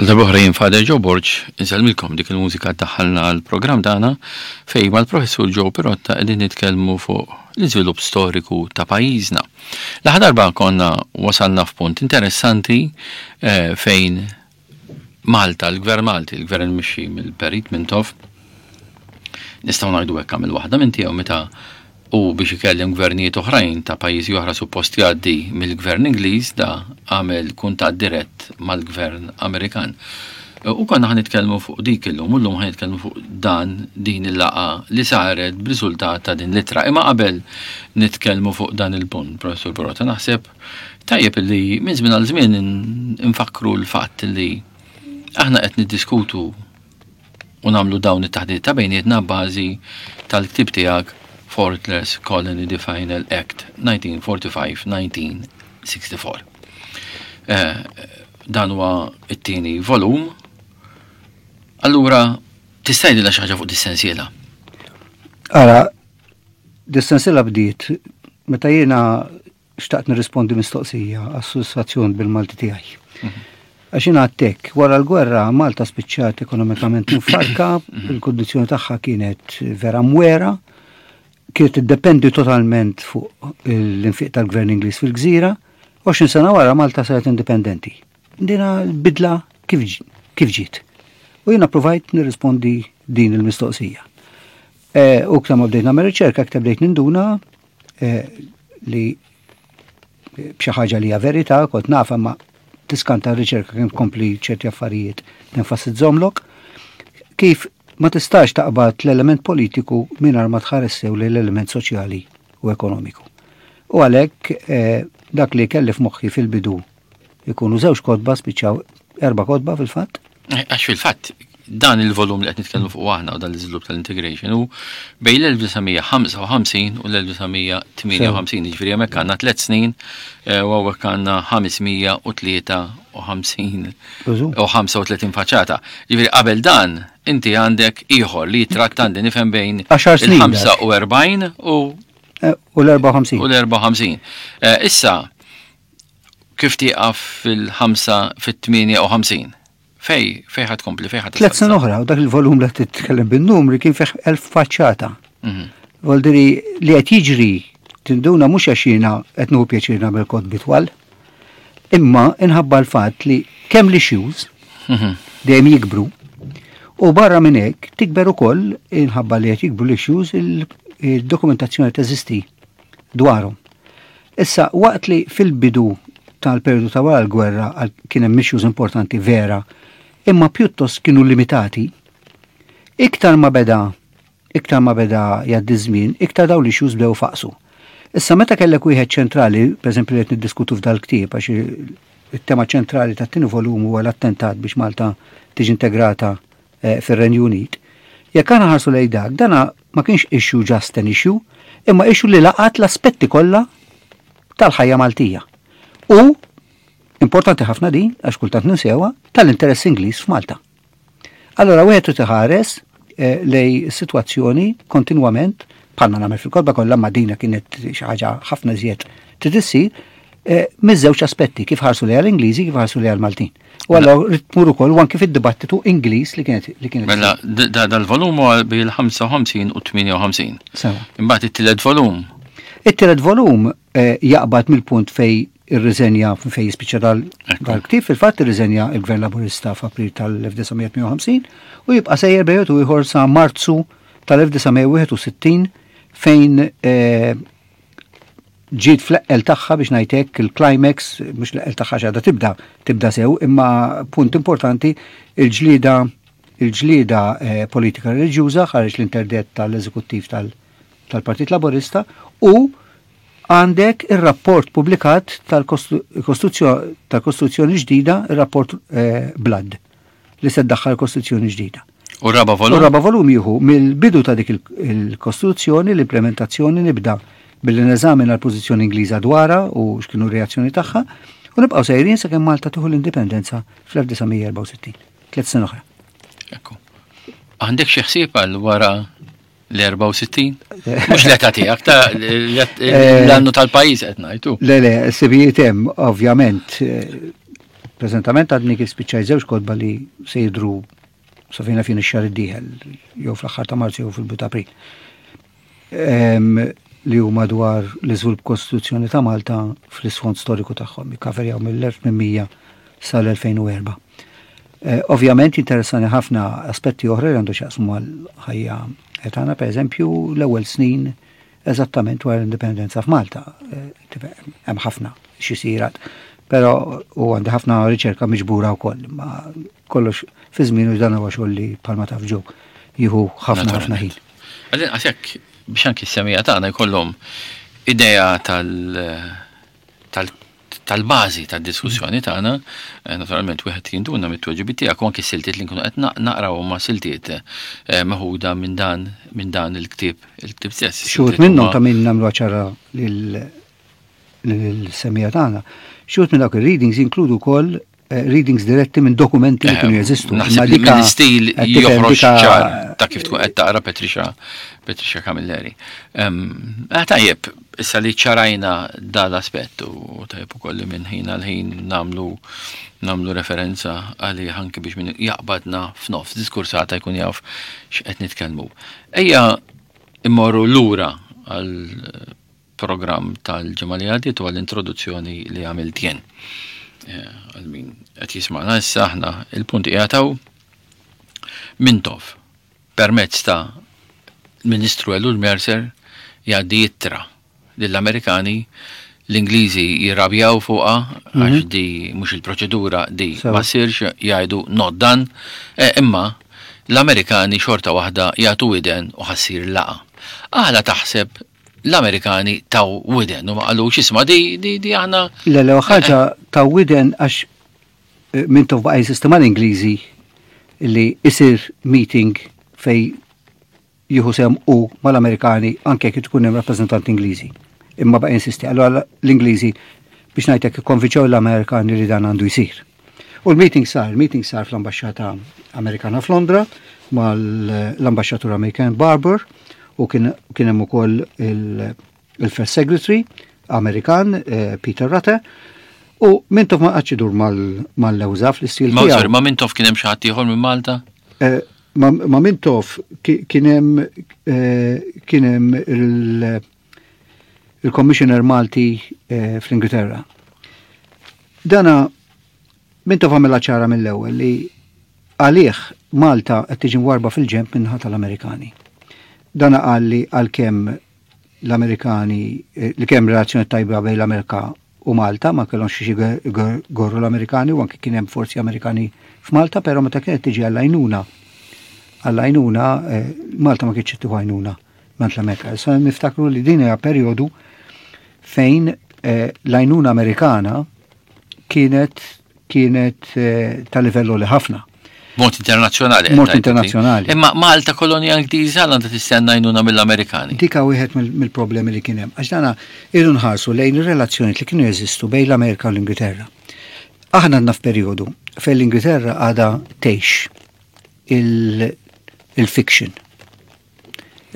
Għal darb'oħra jien Father Joe Borg insellmilkom dik il-mużika daħħalna għall-programm tagħna fejn mal-Professur Joe Pirotta qegħdin nitkellmu fuq l-iżvilupp storiku ta' pajjiżna. L-aħħar darba konna wasalna f'punt interessanti eh, fejn Malta, l-Gvern Malti, l-Gvern mixi mill-Perit Mintoff, nistgħu ngħidu hekk għamel waħda minn tiegħu meta u biex ikellem gvernijiet oħrajn ta' pajjiżi oħra suppost jgħaddi mill-gvern Ingliż da għamel kuntatt dirett mal-gvern Amerikan. U konna ħan nitkellmu fuq dik illum, u llum ħan nitkellmu fuq dan din il-laqa li saret b'riżultat ta' din l-ittra. Imma qabel nitkellmu fuq dan il-punt, Professur Borota, naħseb tajjeb li minn żmien għal żmien nfakkru l-fatt li aħna qed niddiskutu u nagħmlu dawn it-taħdiet ta' bejnietna bażi tal-ktieb tiegħek Fortress Colony The Final Act 1945-1964. Eh, dan huwa it-tieni volum. Allura, tista' jgħidilna xi ħaġa fuq dis-sensiela? Ara, dis-sensiela bdiet meta jiena xtaqt nirrispondi mistoqsija għas-sodisfazzjon bil-Malti tiegħi. Mhm. Għax jiena għattek, wara l-gwerra Malta spiċċat ekonomikament mfarka, mhm. il-kondizzjoni tagħha kienet vera mwera, kienet tiddependi totalment fuq l-infiq tal-gvern Ingliż fil-gżira, 20 sena wara Malta saret indipendenti. Dina bidla kif ġiet. U jiena provajt nirrispondi din il-mistoqsija. E, u ktar ma bdejt nagħmel riċerka, aktar bdejt ninduna e, li b'xi ħaġa li hija verità, kont nafha ma tiskanta r-riċerka kemm tkompli ċerti affarijiet tenfasizzomlok, kif ma tistax taqbad l-element politiku mingħajr ma tħares sew l-element soċjali u ekonomiku. U għalhekk eh, dak li kelli f'moħħi fil-bidu ikunu żewġ kotba spiċċaw erba' kotba fil-fatt. Eh, għax fil-fatt dan il-volum li qed nitkellmu fuq aħna u dan l-iżvilupp tal-integration hu bejn l-1955 u l-1958, jiġifieri hemmhekk għandna tliet snin eh, u hawnhekk għandna 553 u 35 faċċata. Jiġifieri qabel dan inti għandek ieħor li jitratta għandi nifhem bejn il-45 u eh, u l-54. U l-54. Issa, kif tieqaf fil-5 fit-58? Fej, fej ħad kompli, fej ħad. Tlet snin oħra, u dak il-volum li titkellem bin-numri kien fih elf faċċata. Mhm. Voldiri li qed jiġri tinduna mhux għax jiena qed nieħu pjaċir nagħmel kotbi twal, imma inħabba l-fatt li kemm l-issues mhm. dejjem jikbru u barra minn hekk tikber ukoll inħabba li qed jikbru l-issues il-dokumentazzjoni teżisti dwarhom. Issa, waqt li fil-bidu tal-perjodu ta' wara l-gwerra kien hemm issues importanti vera, imma pjuttost kienu limitati, iktar ma beda iktar ma beda jgħaddi żmien, iktar dawn l-issues bdew faqsu. Issa meta kellek wieħed ċentrali, pereżempju li qed niddiskutu f'dal-ktieb għax it-tema ċentrali tat-tieni volum huwa l-attentat biex Malta tiġi integrata eh, fir-Renju Unit. Jekk aħna ħarsu lejn dak, dana ma kienx issue just an issue, imma issue li laqat l-aspetti kollha tal-ħajja Maltija. U importanti ħafna din, għax kultant ninsewha, tal-interess Ingliż f'Malta. Allora wieħed trid iħares eh, lej sitwazzjoni kontinwament bħalma nagħmel fil-kodba kollha ma dina kienet xi ħaġa ħafna iżjed trid issir eh, miż-żewġ aspetti kif ħarsu lejha l-Ingliżi kif ħarsu lejha l-Maltin. U allora rrid tmur ukoll u anki fid-dibattitu Ingliż li kienet li kienet. Mela dal-volum huwa bil-55 u 58. Sewa. Imbagħad it-tielet volum. It-tielet volum eh, jaqbad mill-punt fej irriżenja fej jispiċċa dal-ktieb, fil-fatt irriżenja il-Gvern Laburista f'April tal-1958 u jibqa' sejjer bejn u ieħor sa Marzu tal-1961 fejn eh, ġiet fl-eqqel tagħha biex ngħid hekk il-climax, mhux l-eqqel tagħha x'għadha tibda, tibda sew, imma punt importanti il-ġlieda il-ġlieda eh, politika reliġjuża ħareġ l-interdett tal-eżekuttiv tal-Partit Laburista u għandek ir-rapport publikat tal-Kostituzzjoni ġdida, ir-rapport eh, Blood li se ddaħħal Kostituzzjoni ġdida. U raba volum? U raba volum jieħu mill-bidu ta' dik il-Kostituzzjoni l-implementazzjoni nibda billi neżamina l-pożizzjoni Ingliża dwarha u x'kienu r-reazzjoni tagħha u nibqgħu sejrin sakemm Malta tieħu l-indipendenza fl-1964. Tliet snin oħra. Ekku. Għandek xi ħsieb għal wara l-64? Mhux l-età tiegħek, ta' eh, l-annu tal-pajjiż qed ngħidu. Le, le, sibijiet hemm, ovvjament. Eh, Preżentament għadni kif spiċċaj żewġ kotba li se jidhru sa fejna fin ix-xahar id-dieħel, jew fl-aħħar ta' Marzu jew fil-bidu ta' April. Li huma dwar l-iżvilupp Kostituzzjoni ta' Malta fl-isfond storiku tagħhom, jikkaverjaw mill-1800 sal-2004. Eh, ovvjament interessani ħafna aspetti oħra li għandu x'jaqsmu mal-ħajja tagħna, pereżempju l-ewwel snin eżattament wara l-indipendenza f'Malta. Eh, hemm ħafna xi sirat. Però u għandi ħafna riċerka miġbura wkoll, ma kollox fi żmien u dan huwa xogħol li bħalma taf ġew jieħu ħafna ħafna ħin. Għalin għasek biex anki s-semija tagħna jkollhom idea tal tal tal-bażi tad-diskussjoni tagħna, eh, naturalment wieħed jinduna mit-tweġibiet tiegħek u anki siltiet li nkunu qed naqraw huma siltiet eh, meħuda minn dan minn dan il-ktieb il-ktieb stess. Xi minnhom ta' min nagħmlu ċara lil-semija tagħna. Xi minn dawk ir-readings jinkludu wkoll eh, readings diretti minn dokumenti li kienu jeżistu. Naħseb li mill-istil joħroġ ċar ta' kif tkun qed taqra Patricia Patricia Camilleri. Eh, tajjeb, issa li ċarajna dal-aspett u tajjeb ukoll li minn ħin għal ħin nagħmlu nagħmlu referenza għalih anke biex min jaqbadna f'nofs diskursata jkun jaf x'qed nitkellmu. Ejja immorru lura għal programm tal-ġimgħa li għaddiet u għall-introduzzjoni li għamilt jien. Eh, għal min qed jisma'na issa aħna il-punt qiegħed Mintoff permezz ta' Ministru Ellul Mercer jgħaddi ittra lill-Amerikani l-Ingliżi jirrabjaw fuqha mhm. għax di mhux il-proċedura di ma sirx jgħidu not done, eh, imma l-Amerikani xorta waħda jagħtu widen u ħassir laqa. Għala taħseb l-Amerikani taw widen u ma qalux isma' di di di aħna. Le le ħaġa taw widen għax eh, Mintoff baqa' jinsisti mal-Ingliżi li isir meeting fej jieħu sehem u mal-Amerikani anke jekk tkun hemm rappreżentanti Ingliżi. Imma baqa' jinsisti. Allura l-Ingliżi biex ngħidlek ikkonvinċew l-Amerikani li dan għandu jsir. U l-meeting sar, meeting sar fl-Ambaxxata Amerikana f'Londra mal-Ambaxxatur Amerikan Barber u kien hemm ukoll il-First Secretary Amerikan eh, Peter Rutter u Mintoff ma qatx idur mal-lewża fl-istil tiegħu. Ma ma Mintoff kien hemm xi ħadd ieħor minn Malta? Eh, ma Mintoff kien hemm eh, kien hemm il- il-Commissioner Malti fl-Ingilterra. Dana Mintoff għamilha ċara mill-ewwel li għalih Malta qed tiġi mwarba fil-ġenb min-naħa tal-Amerikani. Dana qal li għalkemm l-Amerikani eh, li kemm relazzjoni tajba bejn l-Amerika u Malta ma kellhomx xi gorru l-Amerikani u anke kien hemm forzi Amerikani f'Malta, però meta kienet tiġi għall-għajnuna għall-għajnuna eh, Malta ma kienx tieħu għajnuna mant l-Amerika. Issa niftakru li din hija perjodu fejn eh, l-għajnuna Amerikana kienet kienet eh, ta' livello li ħafna. Mod internazzjonali. Mod internazzjonali. Imma Malta kolonja Ingliża għandha tistenna għajnuna mill-Amerikani. Dika wieħed mill-problemi li kien hemm. Għax dana irdu nħarsu lejn ir-relazzjonijiet li kienu jeżistu bejn l-Amerika u l-Ingilterra. Aħna għandna f'perjodu fejn l-Ingilterra għadha tgħix il-fiction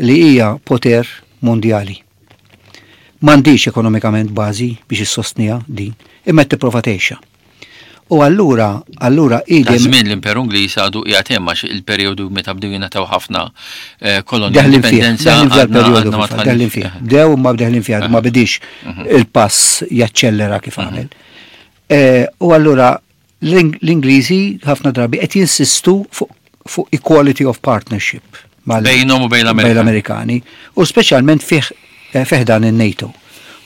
li hija poter mondjali. M'għandhiex ekonomikament bażi biex issostniha din, imma qed tipprova tgħixha. U allura, allura hi Ta' żmien l-Imperu Ingliż għadu qiegħed hemm għax il-perjodu meta bdew jingħataw ħafna eh, kolonji indipendenza. Deħlin fih, deħlin fih. Bdew ma deħlin fih, ma bidix mhm. il-pass jaċċellera kif mhm. għamel. Eh, u allura L-Ingliżi ħafna drabi qed jinsistu fuq equality of partnership bejnhom u bejn l-Amerikani u speċjalment fih eh, fih dan in-NATO.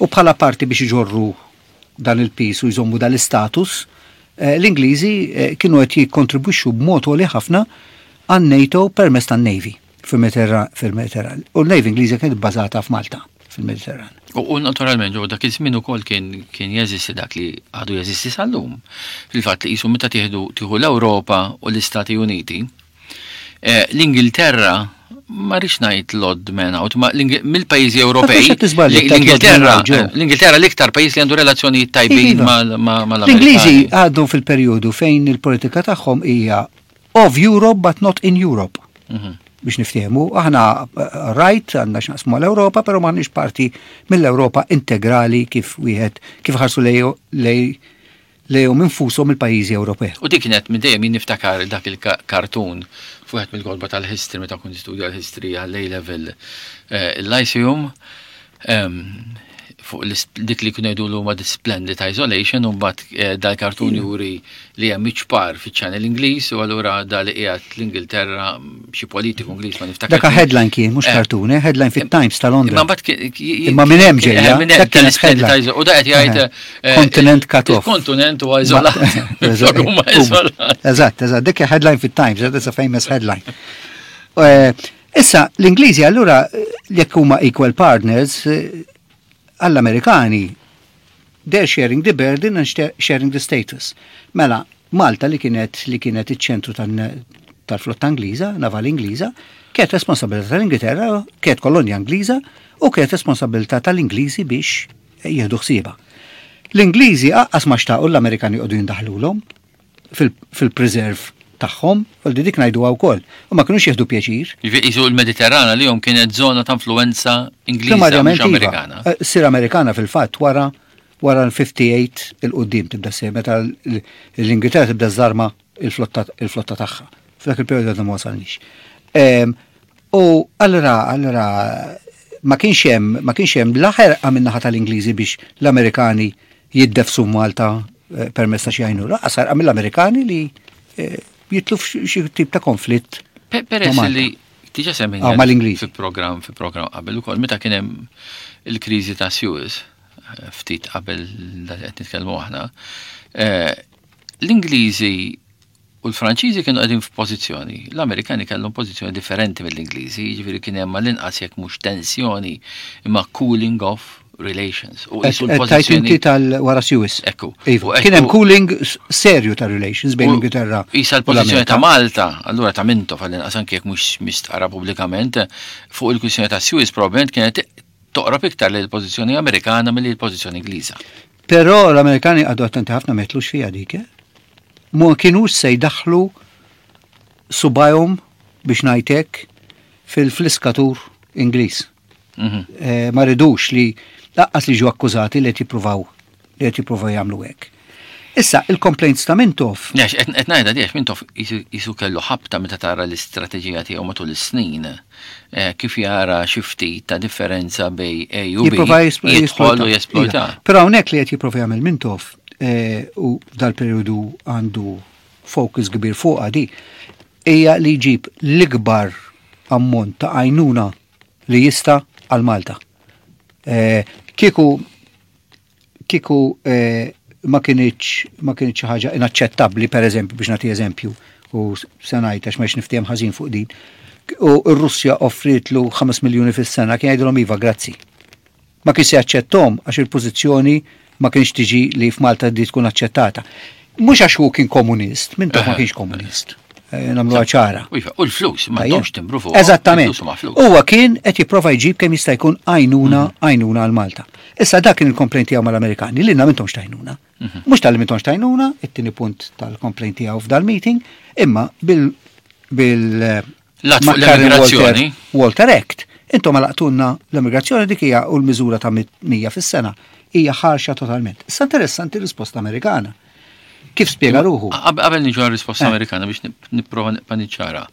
U bħala parti biex iġorru dan il-pis u jżommu dal-istatus, eh, l-Ingliżi eh, kienu qed jikkontribwixxu b'mod għoli ħafna għan-NATO permezz tan-Navy fil-Mediterran. U l-Navy Ingliża kienet bbażata f'Malta fil-Mediterran. U naturalment ġo dak iż-żmien ukoll kien kien jeżisti dak li għadu jeżisti sal-lum. Fil-fatt li qisu meta tieħdu tieħu l-Ewropa u l-Istati Uniti, eh, l-Ingilterra ma rridx ngħid l-odd man out, ma mill-pajjiżi Ewropej. L-Ingilterra, l-Ingilterra l-iktar pajjiż li għandu relazzjonijiet tajbin mal-Amerikani. L-Ingliżi għadu fil-perjodu fejn il-politika tagħhom hija of Europe but not in Europe. Mhm. Biex niftehmu, aħna eh, right għandna x'naqsmu mal-Ewropa, però m'aħniex parti mill-Ewropa integrali kif wieħed kif ħarsu lej lejhom infushom il-pajjiżi Ewropej. U dik kienet minn dejjem jien niftakar dak il-kartun fuq wieħed mill-kotba tal-history meta kont nistudja l-history għall-A level eh, il-Lyceum fuq dik li kienu jgħidu huma the splendid isolation u mbagħad eh, dal-kartun juri li hemm iċpar fiċ-channel Ingliż u allura dal li qiegħed l-Ingilterra xi politiku Ingliż ma niftakar. Dak headline kien mhux eh. kartun, eh, headline fit-Times ta' Londra. Imma mbagħad imma minn hemm ġejja. Minn hemm tal-splendid u da qed jgħid Kontinent cut off. Kontinent huwa iżolat. Eżatt, eżatt, dik headline fit-Times, that's a famous headline. Issa, l-Ingliżi allura jekk huma equal partners, eh, għall-Amerikani, they're sharing the burden and sharing the status. Mela, Malta li kienet li kienet iċ-ċentru tal-flotta Ingliża, naval Ingliża, kienet responsabilità tal-Ingilterra, kienet kolonja Ingliża u kienet responsabilità tal-Ingliżi biex jieħdu ħsiebha. L-Ingliżi aqqas ma xtaqu l-Amerikani joqogħdu jindaħlulhom fil-preserve tagħhom, u dik ngħiduha wkoll. U ma kinux jieħdu pjaċir. Jiġifieri l-Mediterrana li jom kienet żona ta' influenza Ingliża mhux iva. Amerikana. Eh, sir Amerikana fil-fatt wara wara l-58 il-qudiem tibda ssir meta l-Ingilterra tibda żarma il-flotta tagħha. F'dak il-perjodu għadna ma wasalniex. Ehm, u allura allura ma kienx hemm ma kienx hemm la ħerqa min-naħa tal-Ingliżi biex l-Amerikani jiddefsu Malta eh, permezz ta' xi għajnuna, lanqas ħerqa mill-Amerikani li eh, jitlu f'xi tip ta' konflitt. Peress li diġa semmejna ah, mal-Ingliż fi programm fi programm qabel ukoll meta kien hemm il-kriżi ta' Suez eh, ftit qabel dak qed nitkellmu aħna, l-Ingliżi U l-Franċiżi kienu qegħdin f'pożizzjoni, l-Amerikani kellhom pożizzjoni differenti mill-Ingliżi, jiġifieri kien hemm għall-inqas jekk mhux tensjoni imma cooling off relations. U qisu l-pożizzjoni. Inti tal-wara Suez. Ekku. Iva. Kien hemm cooling serju ta' relations bejn l-Ingilterra. Isa l-pożizzjoni ta' Malta, allura ta' Mintoff għall-inqas anke jekk mhux mistqarra pubblikament, fuq il-kwistjoni ta' Suez probabbilment kienet toqrob iktar lejn il-pożizzjoni Amerikana milli l-pożizzjoni Ingliża. Però l-Amerikani qagħdu attenti ħafna ma jitlux fiha dik, eh? Ma kinux se jdaħħlu subajhom biex ngħid hekk fil-fliskatur Ingliż. Mhm. Eh, ma ridux li laqqas li ġew akkużati li qed jippruvaw li qed jippruvaw jagħmlu hekk. Issa, il-complaints ta' Mintoff. Għax, qed ngħidha di għax Mintoff jisu kellu ħabta meta tara l-istrateġija tiegħu matul is-snin, eh, kif jara xi ftit ta' differenza bej A u B. Jidħol u jesplojta. Però hawnhekk li qed jipprova jagħmel Mintoff eh, u dal-perjodu għandu focus kbir fuqha di, hija li jġib l-ikbar ammont ta' għajnuna li jista' għal Malta. Eh, kieku Kieku ma kinitx ma kinitx xi ħaġa inaċċettabbli, pereżempju, biex nagħti eżempju, u se ngħid għax ma niftiehem ħażin fuq din, u r-Russja offrietlu 5 miljuni fis-sena, kien jgħidilhom iva, grazzi. Ma kienx se jaċċetthom għax il-pożizzjoni ma kienx tiġi li f'Malta di tkun aċċettata. Mhux għax hu kien komunist, minn ma kienx komunist. Eh, nagħmluha ċara. U l-flus, ma domx timbru fuq. Eżattament. Huwa kien qed jipprova jġib kemm jista' jkun għajnuna mhm. għajnuna għal Malta. Issa dak kien il-complaint tiegħu mal-Amerikani li m'intomx tajnuna. Mhm. Mhux tal-li m'intomx tajnuna, it-tieni punt tal-complaint tiegħu f'dal-meeting, imma bil bil l-immigrazzjoni. Walter Act. Intom għalaqtunna l-immigrazzjoni dik hija u l-miżura ta' 100 fis-sena hija ħarxa totalment. Issa interessanti risposta Amerikana. Kif spjega ruħu? Qabel niġu għal risposta eh. Amerikana biex nipprova nibqa' niċċara.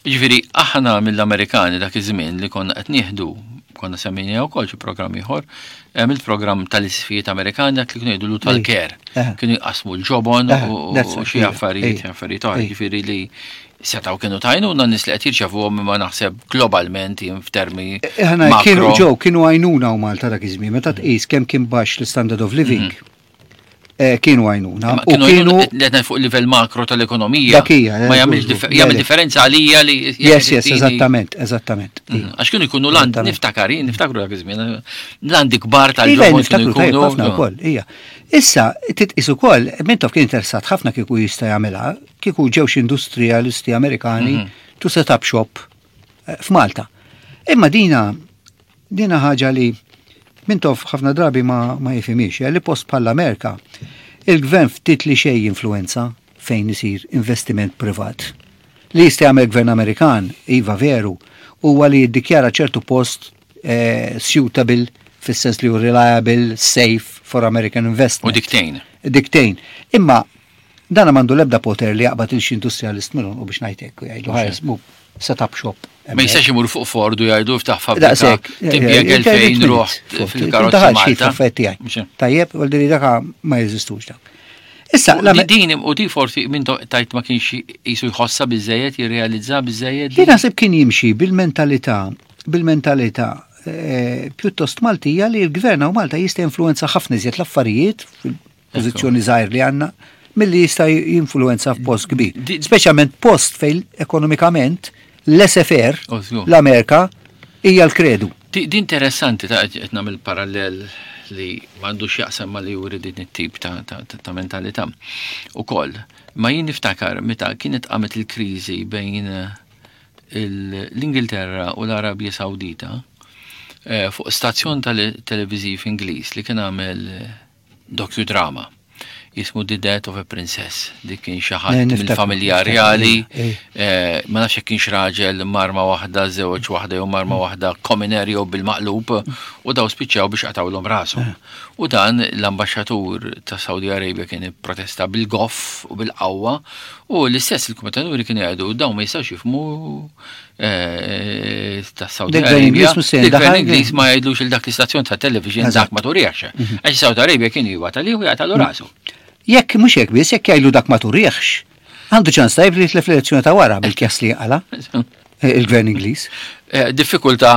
Ġifieri aħna mill-Amerikani dak iż-żmien li konna qed nieħdu konna semmejna wkoll xi programm ieħor, hemm il-programm tal-isfijiet Amerikani dak li kienu jgħidulu tal-care. Eh. Kienu jqasmu l-ġobon eh, u xi affarijiet, affarijiet oħra, ġifieri li setaw kienu tajnuna nies li qed jirċevuhom imma naħseb globalment jien f'termi. Kienu ġew kienu għajnuna u Malta dak iż-żmien meta tqis kemm kien baxx l-standard of living. Mhm. Eh, kienu għajnuna. U kienu li fuq livell makro tal-ekonomija. Dakija. Ma eh, jagħmilx jagħmel differenza għalija li. Yes, yes, eżattament, eżattament. Mm, għax kienu jkunu land, niftakar, niftakru dak iż-żmien, landi kbar tal-ġobon. Iva, niftakru tajjeb ħafna wkoll, hija. Issa, titqis ukoll, Mintoff kien interessat ħafna kieku jista' jagħmilha, kieku ġew xi industrialisti Amerikani mhm. to set up shop eh, f'Malta. Imma dina Dina ħaġa li Mintoff ħafna drabi ma, ma jifhimhiex, li post bħall-Amerika, il-gvern ftit li xejn jinfluwenza fejn isir investiment privat. Li jista' jagħmel gvern Amerikan, iva veru, huwa li jiddikjara ċertu post eh, suitable fis-sens li hu reliable, safe for American investment. U dik tgħin. Diktejn. Imma dana m'għandu l-ebda poter li jaqbad il xi industrialist minnhom u biex ngħid hekk u jgħidu ħares mu set up shop. Ma jistax imur fuq Ford u jgħidu ftaħ fabbrika. Timpjeg 2000 ruħ fil-karozza Malta. Tajjeb, u l daka ma jeżistux dak. Issa, din u di forsi minn tajt ma kienx jisu jħossa biżejjed, jirrealizza biżejjed. Jien naħseb kien jimxi bil-mentalità, bil-mentalità eh, pjuttost Maltija li l-gvern u Malta jista' influenza ħafna iżjed l-affarijiet fil-pożizzjoni żgħir li għandna milli jista' jinfluenza f'post kbir. Speċjalment post fejn ekonomikament l-SFR, l-Amerika, hija l-kredu. Di interessanti ta' qed nagħmel parallel li m'għandux jaqsam ma li juri din it-tip ta', ta, ta, ta mentalità. Ukoll, ma jien niftakar meta kienet qamet il-kriżi bejn eh, l-Ingilterra u l-Arabja Sawdita eh, fuq stazzjon tal-televiżiv Ingliż li kien għamel eh, docudrama jismu The Death of a Princess. Dik kien xi ħadd mill-familja reali, eh, ma nafx jekk kienx raġel marma waħda, żewġ waħda jew marma waħda commoner jew bil-maqlub u daw spiċċaw biex qatawlhom rashom. U dan l-ambaxxatur ta' Saudi Arabia kien ipprotesta bil-goff u bil-qawwa u l-istess il-kumentaturi kienu jgħidu dawn ma jistgħux jifhmu Eh, ta' Saudi Arabia. Il-gvern Ingliż ma jgħidlux il dak l-istazzjon ta' television dak ma turiex. Mhm. Għax Saudi Arabia kien jibgħat għalih u jagħtalu mhm. rasu. Jekk mhux hekk biss, jekk jgħidu dak ma turiex, għandu ċans tajb li jitlef l-elezzjoni ta' wara bil-kjas li għala eh, il-gvern Ingliż. Eh, diffikultà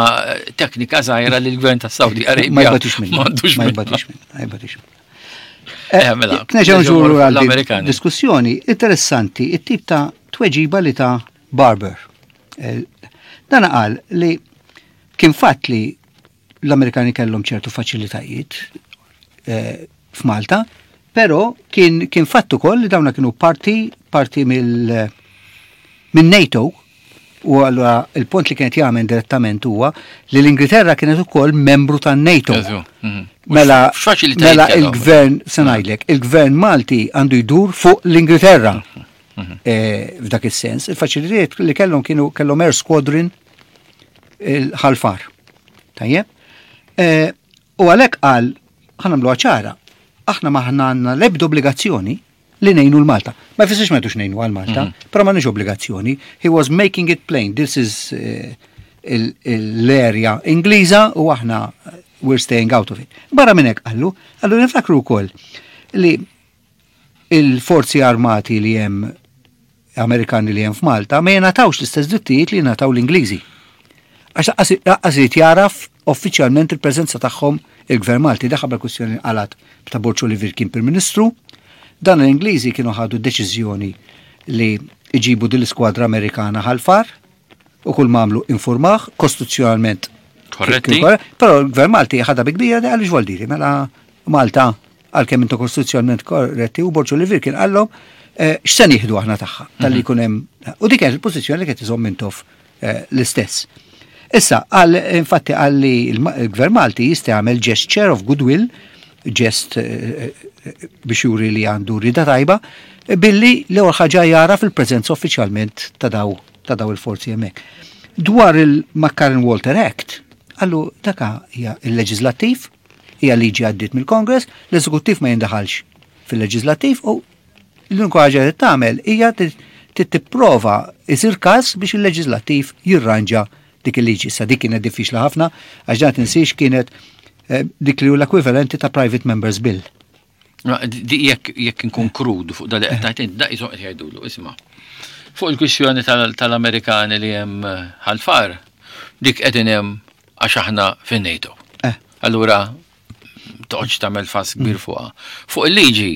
teknika żgħira li l-gvern ta' Saudi Arabia. Ma jbatix minnu. Ma jbatix minnu. Ma jbatix minnu. Mela, Kneġa nżuru għal diskussjoni interessanti it-tip ta' tweġiba li ta' Barber. Eh, dan qal li kien fatt li l-Amerikani kellhom ċertu faċilitajiet eh, f'Malta, però kien, kien fatt ukoll li dawna kienu parti parti mill minn NATO u allura il-punt li kienet jagħmel direttament huwa li l-Ingilterra kienet ukoll membru tan-NATO. Mhm. Mela, mela il-gvern, se ngħidlek, il-gvern Malti għandu jdur fuq l-Ingilterra. Mhm. Mhm. Eh, f'dak is-sens. Il-faċilitajiet li kellhom kienu kellhom Air Squadron il-ħalfar. Tajjeb? Eh, u għalhekk qal ħanamlu ċara, aħna maħna għandna l-ebda obbligazzjoni li nejnu l-Malta. Ma jfissirx ma jtux nejnu għal-Malta, mhm. però ma nix obbligazzjoni. He was making it plain, this is eh, l-area Ingliża u aħna we're staying out of it. Barra minn hekk qallu, qallu niftakru wkoll li il-forzi armati li hemm Amerikani li hemm f'Malta ma jingħatawx l-istess drittijiet li jingħataw l-Ingliżi. Għax laqqas irid jaraf uffiċjalment il-preżenza tagħhom il-Gvern Malti. Daħal bil-kwistjoni nqalgħet ta' Borg Olivier kien Prim Ministru. Dan l-Ingliżi kienu ħadu deċiżjoni li iġibu din l-iskwadra Amerikana ħal-far u kull m'għamlu informah kostituzzjonalment. Korretti. Però l-Gvern Malti ħadha bi kbira għaliex voldiri mela Malta għalkemm intu kostituzzjonalment korretti u Borg Olivier kien qallhom eh, x'se nieħdu aħna tagħha tal-li mhm. jkun hemm u dik kienet il-pożizzjoni li kienet iżomm Mintoff eh, l-istess. Issa, għal infatti għal li l-Gvern Malti jista' jagħmel gesture of goodwill, ġest eh, biex juri li għandu rida tajba, billi l-ewwel ħaġa jara fil-preżenza uffiċjalment ta' daw ta' daw il-forzi hemmhekk. Dwar il-McCarran Walter Act, għallu daka hija il-leġislattiv, Hija liġi għaddiet mill-Congress, l-eżekuttiv ma jindaħalx fil-leġislattiv u l-unika ħaġa li tagħmel hija tipprova isir każ biex il-leġislattiv jirranġa dik il-liġi. Sa dik kienet diffiċli ħafna għax dan tinsiex kienet eh, dik li hu l-ekwivalenti ta' Private Members Bill. Jekk jekk inkun krud fuq dal qed tgħid, da qishom qed jgħidulu, isma'. Fuq il-kwistjoni tal-Amerikani li hemm eh, ħalfar, dik qegħdin hemm għax aħna fin-NATO. Eh. Allura toqgħodx tagħmel fass kbir mm. fuqha. Fuq il-liġi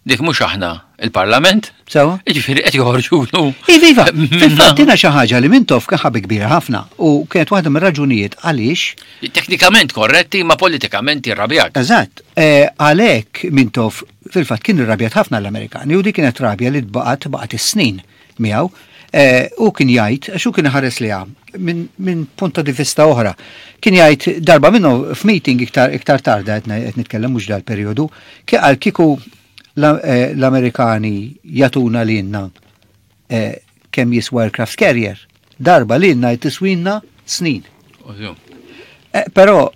dik mhux aħna il-Parlament. Sewa. Jiġifieri qed joħorġulu. Iva, iva. Fil-fatt jiena xi ħaġa li Mintoff kien ħabi kbira ħafna u kienet waħda mir-raġunijiet għaliex. Teknikament korretti ma politikament irrabjat. Eżatt. Eh, għalhekk Mintoff fil-fatt kien irrabjat ħafna l-Amerikani u dik kienet rabja li tbaqgħet baqgħet is-snin miegħu. Eh, u kien jgħid, għax hu kien iħares liha minn min punta di vista oħra. Kien jgħid darba minnu f'meeting iktar iktar tarda qed nitkellem mhux dal-perjodu, kien qal kieku eh, l-Amerikani jagħtuna lilna eh, kemm jiswa aircraft carrier, darba lilna jtiswinna snin. Però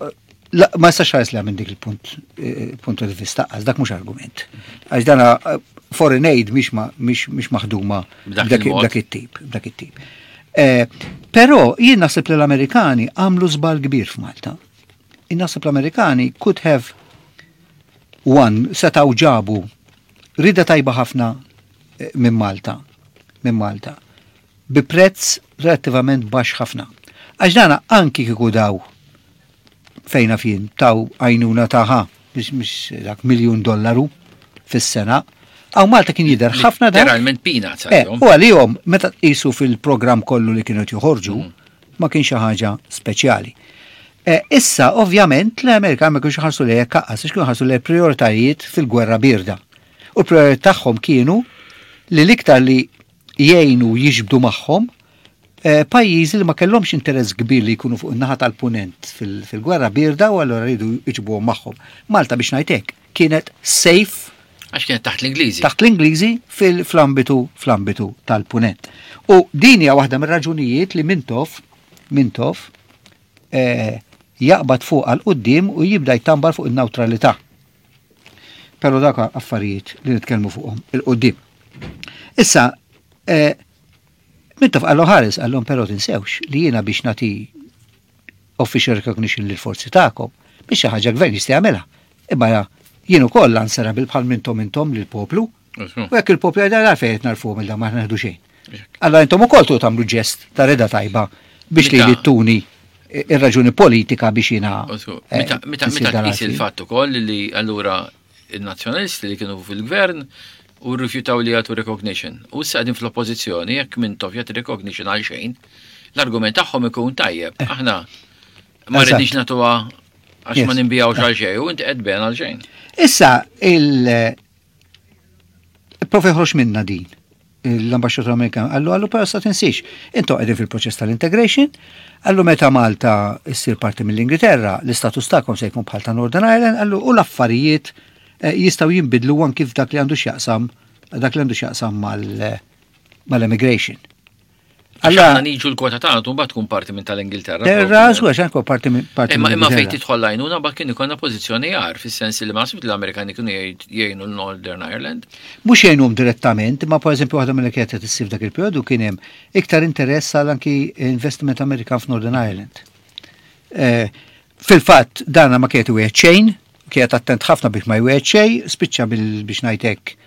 Ma jistax ħares li minn dik il-punt eh, punt di vista, għax dak mhux argument. Għax dana eh, foreign aid mhix maħduma b'dak it-tip, b'dak it-tip. Eh, però jien naħseb li l-Amerikani għamlu żball kbir f'Malta. Jien naħseb l-Amerikani could have one setgħu ġabu rida tajba ħafna minn Malta, minn Malta, bi prezz relattivament baxx ħafna. Għax dana anki kieku daw fejna fien taw għajnuna taħa biex dak miljun dollaru fis-sena. Għaw Malta kien jidher ħafna da. Literalment peanuts. Eh, u għalihom meta tqisu fil-programm kollu li kienu joħorġu mm. ma kien xi ħaġa speċjali. Eh, issa, ovvjament, l-Amerika ma kienx ħarsu lejha kaqqas, kienu ħarsu lejha prioritajiet fil-gwerra birda. U l-prioritajiet tagħhom kienu li l-iktar li jgħinu jiġbdu magħhom eh, pajjiżi li ma kellhomx interess kbir li jkunu fuq in-naħa tal-punent fil-gwerra birda u allura rridu jiġbuhom magħhom. Malta biex ngħid kienet safe Għax kienet taħt l-Ingliżi. Taħt l-Ingliżi fil-ambitu fl-ambitu tal-punent. U din hija waħda mir-raġunijiet li Mintoff Mintoff eh, jaqbad fuq għal quddiem u jibda jtambar fuq in-nawtralità. Però dak affarijiet li nitkellmu fuqhom il-qudiem. Issa, eh, Mintoff qallu ħares qallhom però tinsewx li jiena biex nagħti official recognition lil forzi tagħkom biex xi ħaġa gvern jista' jagħmilha. Imma jien ukoll answerable bħal mintom intom lill-poplu. U jekk il-poplu jgħid għalfejn qed narfuhom il ma neħdu xejn. Allora intom ukoll tu tagħmlu ġest ta' reda tajba biex li tuni ir-raġuni politika biex jiena. Eh, meta tqis il-fatt ukoll li allura il-nazzjonalisti li kienu fil-gvern u rrifjutaw li jagħtu recognition. U issa qegħdin fl-oppożizzjoni jekk Mintoff jagħti recognition għal xejn, l-argument tagħhom ikun tajjeb. Eh. Aħna ma rridniex nagħtuha għax ma nimbijawx għal xejn u inti qed ben għal xejn. Issa il Prof joħroġ minna din l-ambasċatur Amerikan għallu għallu però sa tinsiex. Intom qegħdin fil-proċess tal-integration, għallu meta Malta ssir parti mill-Ingilterra, l-istatus tagħkom se jkun bħal ta' Northern Ireland, għallu u l-affarijiet eh, jistgħu jinbidlu anki f'dak li għandu x'jaqsam dak li għandu x'jaqsam mal-immigration. Alla niġu l-kwota tagħna tu mbagħad tkun parti minn tal-Ingilterra. Terra, żgur għax anke parti minn parti. Imma imma fejn tidħol lajnuna mbagħad kien ikollna pożizzjoni għar fis-sens li ma naħsibx li l-Amerikani kienu jgħinu l-Northern Ireland. Mhux jgħinuhom direttament, imma pereżempju waħda mill kienet qed issir f'dak il-perjodu kien hemm iktar interess għal anki investiment Amerikan f'Northern Ireland. Eh, fil-fatt dana ma kienet wieħed xejn, kienet attent ħafna biex ma jwieħed xejn, spiċċa biex ngħidlek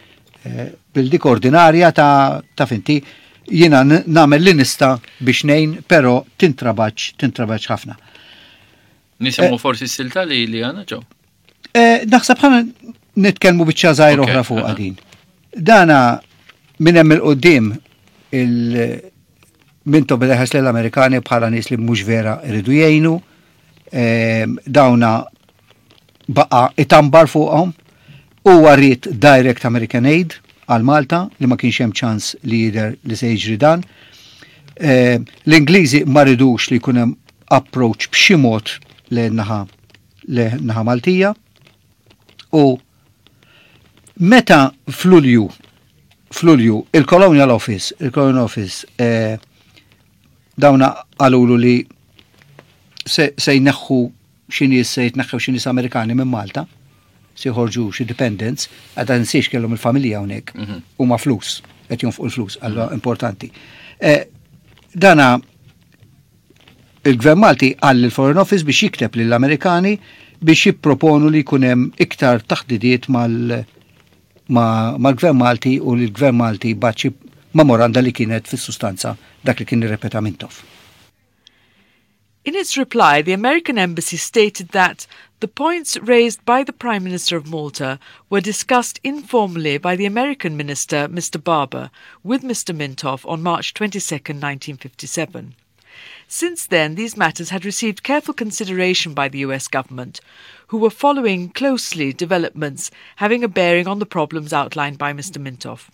eh, bil-dik ordinarja ta' finti jiena nagħmel li nista' biex ngħin, però tintrabaċ, tintrabaċ ħafna. Nisimgħu eh, forsi s-silta li li għandna ġew. Eh, naħseb ħana nitkellmu biċċa żgħir oħra fuq din. Dana minn hemm il-qudiem il mintom beda l-Amerikani bħala nies li mhux vera iridu jgħinu, Ehm, dawna baqa itambar fuqhom huwa ried direct American Aid għal Malta li ma kienx hemm ċans li jidher li se jiġri dan. Ehm, L-Ingliżi ma ridux li jkun hemm approach b'xi mod lejn naħa naħa Maltija u meta f'Lulju f'Lulju il-Colonial Office il-Colonial Office eh, Dawna qalulu li se, se jneħħu xi nies se jitneħħew xi nies Amerikani minn Malta, se jħorġu xi dependents, għadha nsiex kellhom il-familja hawnhekk, mhm. huma flus, qed jonfqu l-flus, allura mhm. importanti. Eh, dana il-Gvern Malti qal lill-Foreign Office biex jikteb lill-Amerikani biex jipproponu li jkun hemm iktar taħdidiet mal- mal-Gvern Malti u li l-Gvern Malti bagħat xi memoranda li kienet fis-sustanza dak li kien irrepeta Mintoff. In its reply, the American embassy stated that the points raised by the Prime Minister of Malta were discussed informally by the American minister, Mr. Barber, with Mr. Mintoff on March 22, 1957. Since then, these matters had received careful consideration by the US government, who were following closely developments having a bearing on the problems outlined by Mr. Mintoff.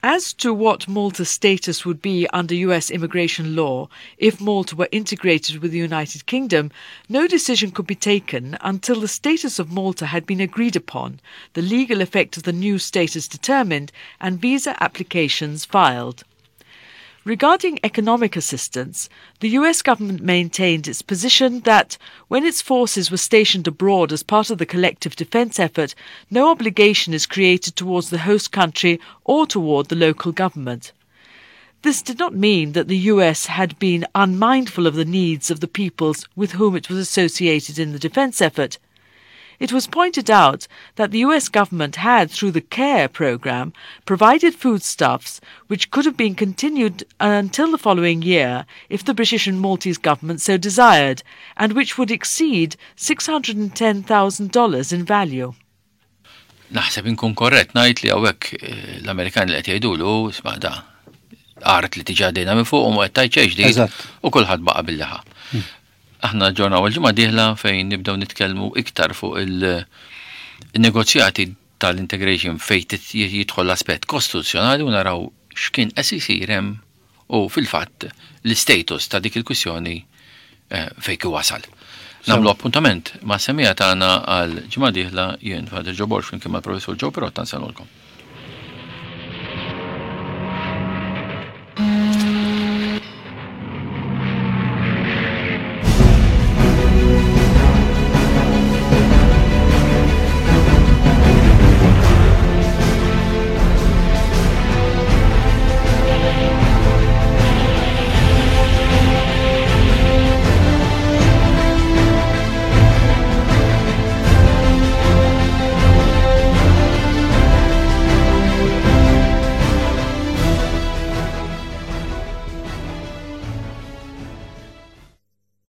As to what Malta's status would be under US immigration law if Malta were integrated with the United Kingdom, no decision could be taken until the status of Malta had been agreed upon, the legal effect of the new status determined, and visa applications filed. Regarding economic assistance, the US government maintained its position that when its forces were stationed abroad as part of the collective defense effort, no obligation is created towards the host country or toward the local government. This did not mean that the US had been unmindful of the needs of the peoples with whom it was associated in the defense effort. It was pointed out that the US government had, through the CARE program, provided foodstuffs which could have been continued until the following year if the British and Maltese government so desired, and which would exceed $610,000 in value. Naħseb inkun korrett ngħid li hawnhekk eh, l-Amerikani li qed jgħidulu isma' da art li tiġa għaddejna minn fuq u ma qed tgħid xejn ġdid u kulħadd baqa' bil-liħa. Aħna naġġornaw għall-ġimgħa dieħla fejn nibdew nitkellmu iktar fuq il-negozjati tal-integration fejn jidħol l-aspett kostituzzjonali u naraw x'kien qed isir hemm u fil-fatt l-istatus ta' dik il-kwistjoni eh, fejn kien wasal. Nagħmlu appuntament ma' semija tagħna għal ġimgħa dieħla jien Father Joe Borg flimkien mal-Professur Joe Pirotta nsellmulkom.